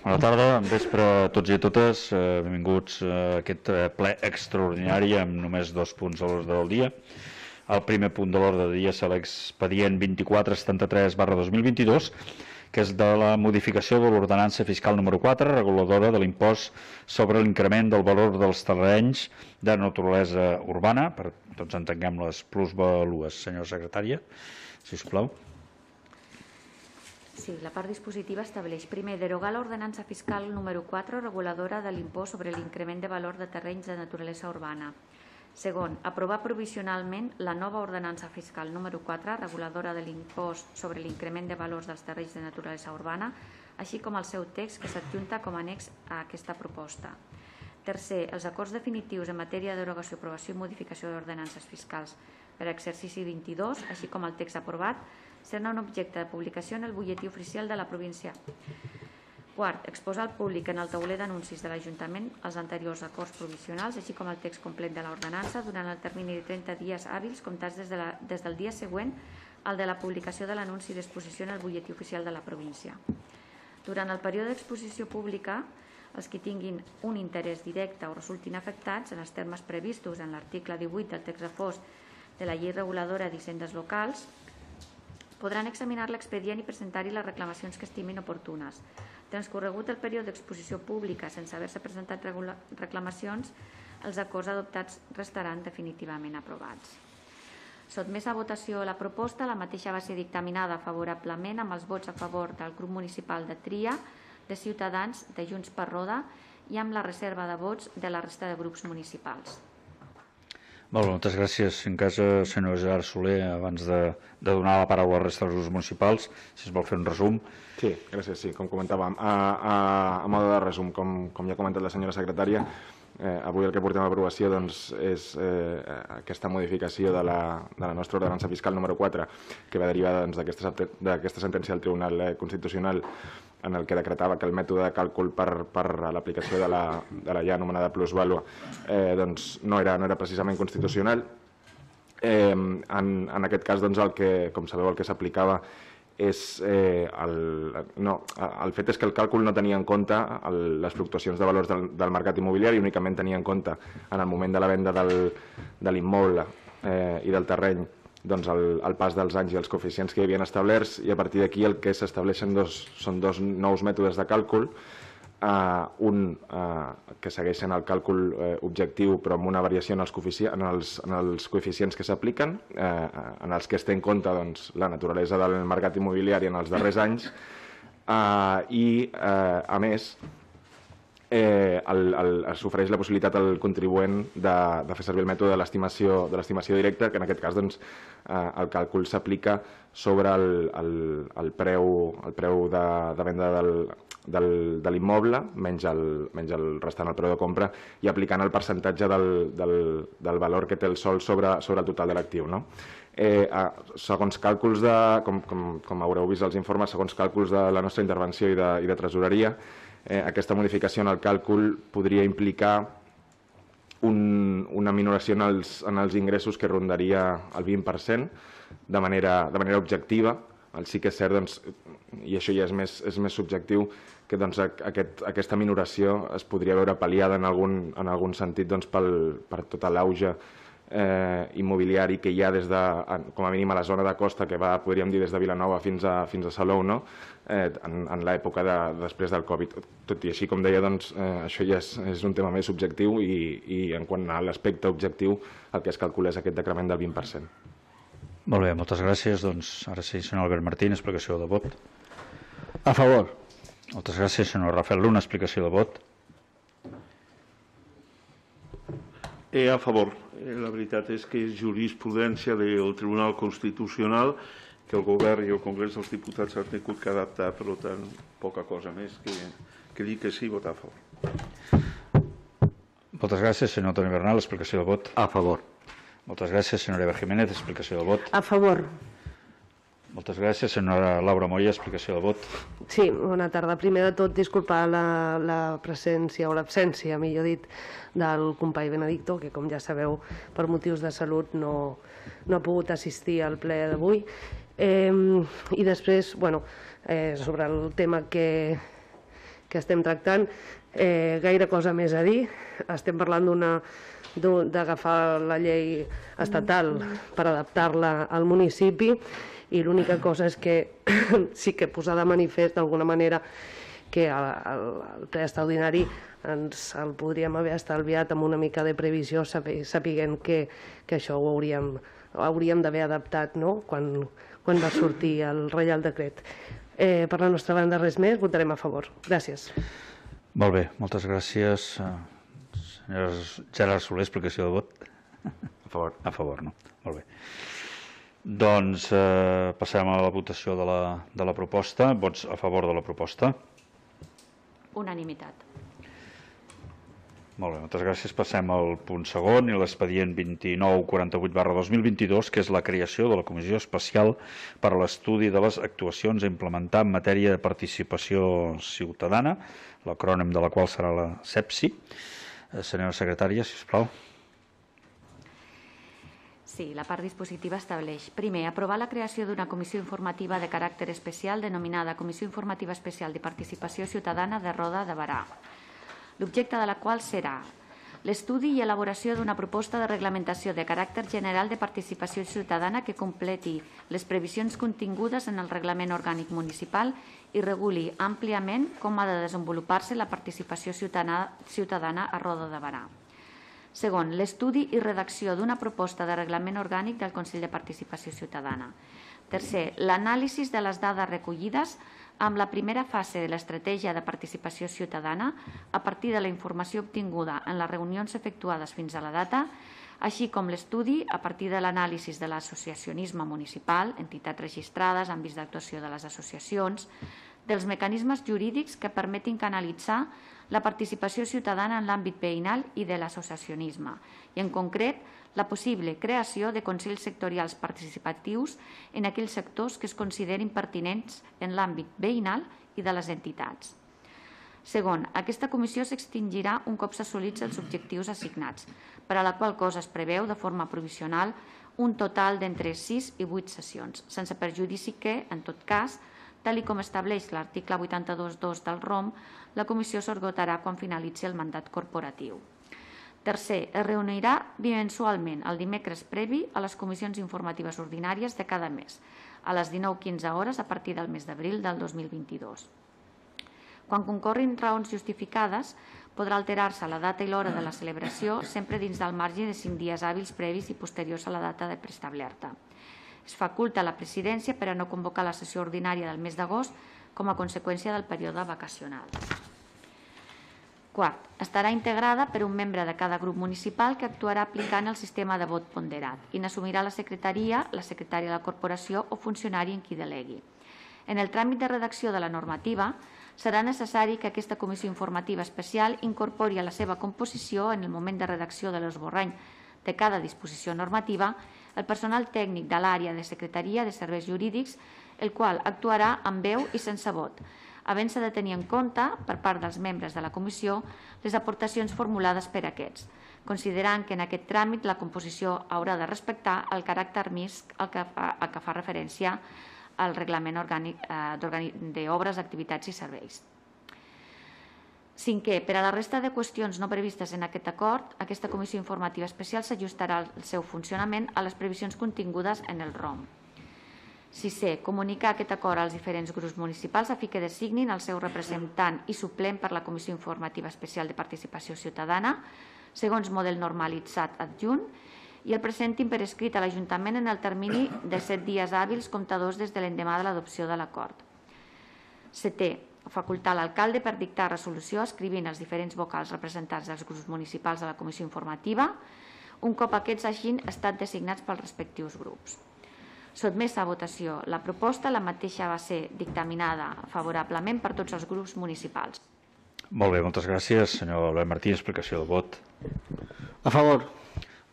Bona tarda, vespre a tots i a totes. Benvinguts a aquest ple extraordinari amb només 2 punts a l'ordre del dia. El primer punt de l'ordre del dia és l'expedient 2473/2022, que és de la modificació de l'ordenança fiscal número 4, reguladora de l'impost sobre l'increment del valor dels terrenys de naturalesa urbana, per tots entenguem les plusvalues. Senyora secretària, si us plau. Sí, la part dispositiva estableix, primer, derogar l'ordenança fiscal número 4, reguladora de l'impost sobre l'increment de valor de terrenys de naturalesa urbana. Segon, aprovar provisionalment la nova ordenança fiscal número 4, reguladora de l'impost sobre l'increment de valors dels terrenys de naturalesa urbana, així com el seu text que s'adjunta com a annex a aquesta proposta. Tercer, els acords definitius en matèria de derogació, aprovació i modificació d'ordenances fiscals per a exercici 22, així com el text aprovat, serà un objecte de publicació en el butlletí oficial de la província. Quart, exposar al públic en el tauler d'anuncis de l'Ajuntament els anteriors acords provisionals, així com el text complet de l'ordenança durant el termini de 30 dies hàbils comptats des del dia següent al de la publicació de l'anunci d'exposició en el butlletí oficial de la província. Durant el període d'exposició pública, els que tinguin un interès directe o resultin afectats en els termes previstos en l'article 18 del text refós de la Llei Reguladora d'Hisendes Locals podran examinar l'expedient i presentar-hi les reclamacions que estimin oportunes. Transcorregut el període d'exposició pública sense haver-se presentat reclamacions, els acords adoptats restaran definitivament aprovats. Sotmès a votació la proposta, la mateixa va ser dictaminada favorablement amb els vots a favor del grup municipal de Tria, de Ciutadans, de Junts per Roda i amb la reserva de vots de la resta de grups municipals. Molt bé, moltes gràcies. En cas, senyor Gerard Soler, abans de donar la paraula a la resta dels grups municipals, si es vol fer un resum. Sí, gràcies. Sí, com comentàvem, a mode de resum, com ja ha comentat la senyora secretària, avui el que portem a aprovació és aquesta modificació de la nostra ordenança fiscal número 4, que va derivar d'aquesta sentència del Tribunal Constitucional en el que decretava que el mètode de càlcul per a l'aplicació de la ja anomenada plusvàlua no era precisament constitucional. En aquest cas, com sabeu, el que s'aplicava és el fet és que el càlcul no tenia en compte les fluctuacions de valors del mercat immobiliari, únicament tenia en compte en el moment de la venda de l'immoble i del terreny el pas dels anys i els coeficients que hi havien establerts, i a partir d'aquí el que s'estableixen són 2 nous mètodes de càlcul, un que segueixen el càlcul objectiu però amb una variació en els coeficients que s'apliquen, en els que es té en compte la naturalesa del mercat immobiliari en els darrers anys, i a més s'ofereix la possibilitat al contribuent de fer servir el mètode de l'estimació directa, que en aquest cas el càlcul s'aplica sobre el preu de venda de l'immoble menys el restant, el preu de compra, i aplicant el percentatge del valor que té el sòl sobre el total de l'actiu. Segons càlculs, com haureu vist als informes, segons càlculs de la nostra intervenció i de tresoreria, aquesta modificació en el càlcul podria implicar una minoració en els ingressos que rondaria el 20% de manera objectiva. Sí que és cert, i això ja és més subjectiu, que aquesta minoració es podria veure pal·liada en algun sentit per tot l'auge immobiliari que hi ha com a mínim a la zona de costa, que va, podríem dir, des de Vilanova fins a Salou, en l'època després del Covid. Tot i així, com deia, això ja és un tema més subjectiu, i en quant a l'aspecte objectiu el que es calcula és aquest decrement del 20%. Molt bé, moltes gràcies. Ara sí, senyor Albert Martín, explicació de vot. A favor. Moltes gràcies, senyor Rafael Luna, explicació de vot. A favor. La veritat és que és jurisprudència del Tribunal Constitucional que el Govern i el Congrés dels Diputats han tingut que adaptar, per tant, poca cosa més que dir que sí, votar a favor. Moltes gràcies, senyor Toni Bernal, explicació de vot. A favor. Moltes gràcies, senyora Eva Jiménez, explicació de vot. A favor. Moltes gràcies, senyora Laura Moya, explicació de vot. Sí, bona tarda. Primer de tot, disculpar la presència o l'absència, millor dit, del company Benedicto, que com ja sabeu, per motius de salut no ha pogut assistir al ple d'avui. I després, sobre el tema que estem tractant. Gaire cosa més a dir. Estem parlant d'agafar la llei estatal per adaptar-la al municipi i l'única cosa és que sí que posar de manifest d'alguna manera que el ple extraordinari ens el podríem haver estalviat amb una mica de previsió, sapiguent que això ho hauríem d'haver adaptat quan va sortir el Reial Decret. Per la nostra banda res més, votarem a favor. Gràcies. Molt bé, moltes gràcies. Senyora Gerard Soler, explicació de vot. A favor. A favor, no? Molt bé. Doncs passem a la votació de la proposta. Vots a favor de la proposta? Unanimitat. Molt bé, moltes gràcies. Passem al punt segon i l'expedient 2948/2022, que és la creació de la Comissió Especial per a l'estudi de les actuacions a implementar en matèria de participació ciutadana, l'acrònim de la qual serà la CEPSI. Senyora secretària, sisplau. Sí, la part dispositiva estableix, primer, aprovar la creació d'una comissió informativa de caràcter especial denominada Comissió Informativa Especial de Participació Ciutadana de Roda de Berà, l'objecte de la qual serà l'estudi i elaboració d'una proposta de reglamentació de caràcter general de participació ciutadana que completi les previsions contingudes en el Reglament Orgànic Municipal i reguli àmpliament com ha de desenvolupar-se la participació ciutadana a Roda de Berà. Segon, l'estudi i redacció d'una proposta de reglament orgànic del Consell de Participació Ciutadana. Tercer, l'anàlisi de les dades recollides amb la primera fase de l'estratègia de participació ciutadana a partir de la informació obtinguda en les reunions efectuades fins a la data, així com l'estudi a partir de l'anàlisi de l'associacionisme municipal, entitats registrades, àmbits d'actuació de les associacions, dels mecanismes jurídics que permetin canalitzar la participació ciutadana en l'àmbit veïnal i de l'associacionisme, i en concret la possible creació de consells sectorials participatius en aquells sectors que es considerin pertinents en l'àmbit veïnal i de les entitats. Segon, aquesta comissió s'extingirà un cop s'assolits els objectius assignats, per a la qual cosa es preveu de forma provisional un total d'entre 6 i 8 sessions, sense perjudici que, en tot cas, tal com estableix l'article 82.2 del ROM, la comissió s'esgotarà quan finalitzi el mandat corporatiu. Tercer, es reunirà bimensualment el dimecres previ a les comissions informatives ordinàries de cada mes, a les 19:15 hores a partir del mes d'abril del 2022. Quan concorrin raons justificades, podrà alterar-se la data i l'hora de la celebració sempre dins del marge de 5 dies hàbils previs i posteriors a la data de preestablerta. Es faculta la presidència per a no convocar la sessió ordinària del mes d'agost com a conseqüència del període vacacional. Quart, estarà integrada per un membre de cada grup municipal que actuarà aplicant el sistema de vot ponderat i n'assumirà la secretaria, la secretària de la corporació o funcionari en qui delegui. En el tràmit de redacció de la normativa, serà necessari que aquesta comissió informativa especial incorpori a la seva composició en el moment de redacció de l'esborrany de cada disposició normativa el personal tècnic de l'àrea de secretaria de serveis jurídics, el qual actuarà amb veu i sense vot, havent-se de tenir en compte, per part dels membres de la comissió, les aportacions formulades per aquests, considerant que en aquest tràmit la composició haurà de respectar el caràcter mixt al que fa referència al reglament orgànic d'obres, activitats i serveis. Cinquè, per a la resta de qüestions no previstes en aquest acord, aquesta comissió informativa especial s'ajustarà el seu funcionament a les previsions contingudes en el ROM. Sisè, comunicar aquest acord als diferents grups municipals a fi que designin el seu representant i suplent per la Comissió Informativa Especial de Participació Ciutadana, segons model normalitzat adjunt, i el presentin per escrit a l'Ajuntament en el termini de 7 dies hàbils comptadors des de l'endemà de l'adopció de l'acord. Setè, facultar l'alcalde per dictar resolució escrivint els diferents vocals representats dels grups municipals de la Comissió Informativa, un cop aquests hagin estat designats pels respectius grups. Sotmesa a votació la proposta, la mateixa va ser dictaminada favorablement per tots els grups municipals. Molt bé, moltes gràcies. Senyor Albert Martí, explicació de vot. A favor.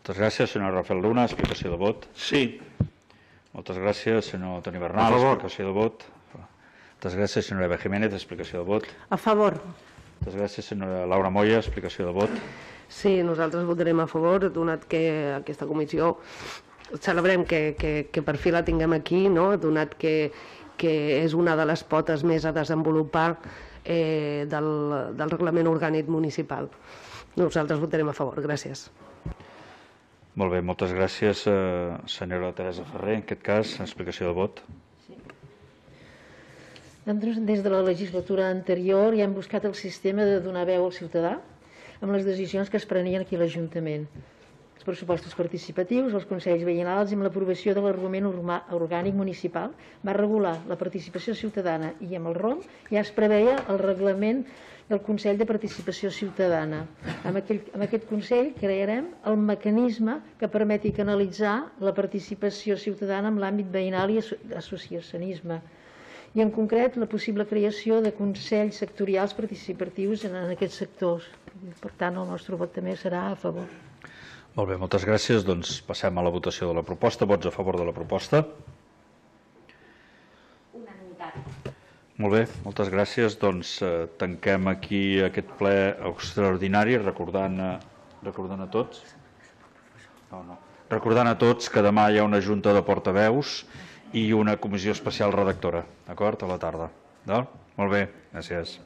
Moltes gràcies. Senyor Rafael Luna, explicació de vot. Sí. Moltes gràcies. Senyor Toni Bernal, explicació de vot. Moltes gràcies. Senyora Eva Jiménez, explicació de vot. A favor. Moltes gràcies. Senyora Laura Moya, explicació de vot. Sí, nosaltres votarem a favor, donat que aquesta comissió celebrem que per fi la tinguem aquí, no? Donat que és una de les potes més a desenvolupar del reglament orgànic municipal. Nosaltres votarem a favor. Gràcies. Molt bé, moltes gràcies, senyora Teresa Ferrer. En aquest cas, explicació de vot. Nosaltres, des de la legislatura anterior, ja hem buscat el sistema de donar veu al ciutadà amb les decisions que es prenien aquí a l'Ajuntament. Els pressupostos participatius, els consells veïnals i amb l'aprovació de l'argument orgànic municipal va regular la participació ciutadana i amb el ROM ja es preveia el reglament del Consell de Participació Ciutadana. Amb aquest Consell crearem el mecanisme que permeti canalitzar la participació ciutadana en l'àmbit veïnal i associacionisme. I en concret la possible creació de consells sectorials participatius en aquests sectors. Per tant, el nostre vot també serà a favor. Molt bé, moltes gràcies. Doncs passem a la votació de la proposta. Vots a favor de la proposta? Unanimitat. Molt bé, moltes gràcies. Doncs tanquem aquí aquest ple extraordinari recordant a tots recordant a tots que demà hi ha una junta de portaveus i una comissió especial redactora, d'acord? A la tarda. Molt bé, gràcies.